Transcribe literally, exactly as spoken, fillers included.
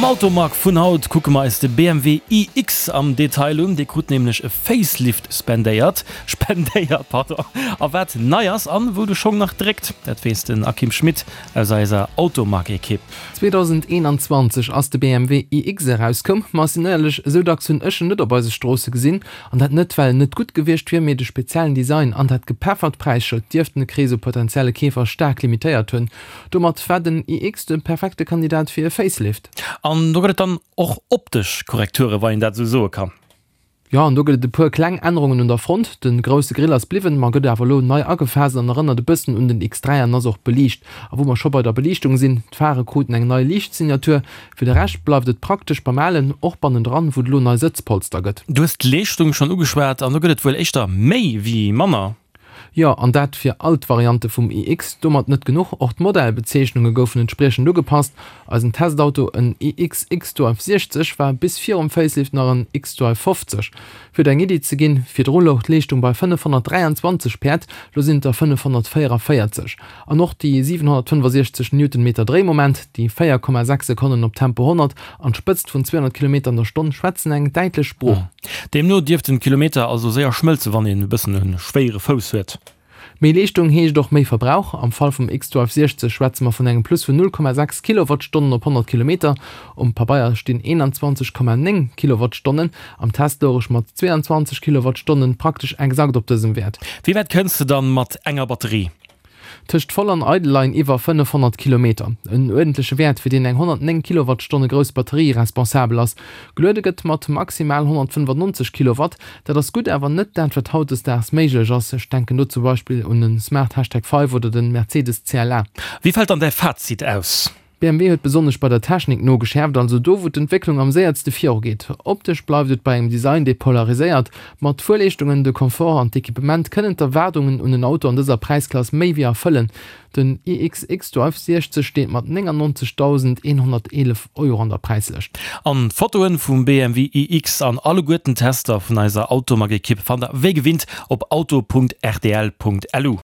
Automag vun haut kucke mer eis de B M W I X am Detail un. Dee krut nämlech e Facelift spendéiert, spendéiert, pardon. A wat nei ass an wou de Schong nach dréckt, dat weess den Akim Schmit aus eiser Automag-Ekipp. zweedausendeenanzwanzeg ass de B M W I X erauskomm, ma sinn éierlech, esou dacks hunn ech en net op eise Stroosse gesinn. An dat net, well en net gutt gewiescht wier, mee de speziellen Design an dat gepeffert Präisschëld dierften de Krees u potenzielle Keefer staark limitéiert hunn. Domat war den I X de perfekte Kandidat fir e Facelift. An do gëtt et dann och optesch Korrekture, wann een dat esou soe kann. Jo, an do gëtt et e puer kleng Ännerungen un der Front. De grousse Grill ass bliwwen, ma gëtt awer elo nei agefaasst an erënnert e bëssen un den X dräi an ass och beliicht. A wou mer scho bei der Beliichtung sinn, d'Phare kruten eng nei Liichtsignatur. Fir de Rescht bleift et praktesch beim Alen, och bannendran, wou et elo nei Sëtzpolster gëtt. Du hues d'Leeschtung schonn ugeschwat an do gëtt et wuel éischter méi wéi manner. Jo, an dat fir all d'Variante vum I X. Domat net genuch, och d'Modellbezeechnunge goufen entspriechend ugepasst. Eisen Testauto, en I X xDrive siechzeg, war bis virum Facelift nach en xDrive fofzeg. Fir der eng Iddi ze ginn, virdru louch d'Leeschtung bei fënnefhonnertdräianzwanzeg Päerd, lo sinn et der fënnefhonnertvéierevéierzeg. An och déi siwenhonnertfënnefasechzeg Newtonmeter Dréimoment, déi véier Komma sechs Sekonnen op Tempo honnert an d'Spëtzt vun zweehonnert Kilometer an der Stonn schwätzen eng däitlech Sprooch. Deemno dierften d'Kilometer also séier schmëlze wann een e bëssen e schwéiere Fouss huet. Méi Leeschtung heescht och méi Verbrauch. Am Fall vum xDrive siechzeg schwätze mer vun engem Plus vun null Komma sechs Kilowattstonnen op honnert Kilometer. Um Pabeier stinn eenanzwanzeg Komma néng Kilowattstonnen, am Test louch ech mat zweeanzwanzeg Kilowattstonnen praktesch exakt op dësem Wäert. Wéi wäit kënns de dann mat enger Batterie? Tëscht voll an eidel leien iwwer fënnefhonnert Kilometer. En uerdentleche Wäert, fir deen eng honnertnéng Kilowattstonne grouss Batterie responsabel ass. Geluede gëtt mat maximal honnertfënnefannonzeg Kilowatt. Dat ass gutt, awer net dat, wat hautdesdaags méiglech ass. Ech denken do zum Beispill un de Smart Hashtag Five oder de Mercedes C L A. Wéi fält dann däi Fazit aus? B M W huet besonnesch bei der Technik nogeschäerft, also do wou d'Entwécklung am séiertste virugeet. Optesch bleift et bei engem Design, dee polariséiert. Ma d'Fuerleeschtungen, de Confort an d'Equipement kënnen d'Erwaardungen un en Auto an dëser Präisklass méi wéi erfëllen. Den I X xDrive siechzeg steet mat néngannonzegdausendeenhonnerteelef Euro an der Präislëscht. An d'Fotoen vum B M W I X an alleguerten Tester vun eiser Automag-Ekipp fannt der wéi gewinnt op auto Punkt R T L Punkt L U.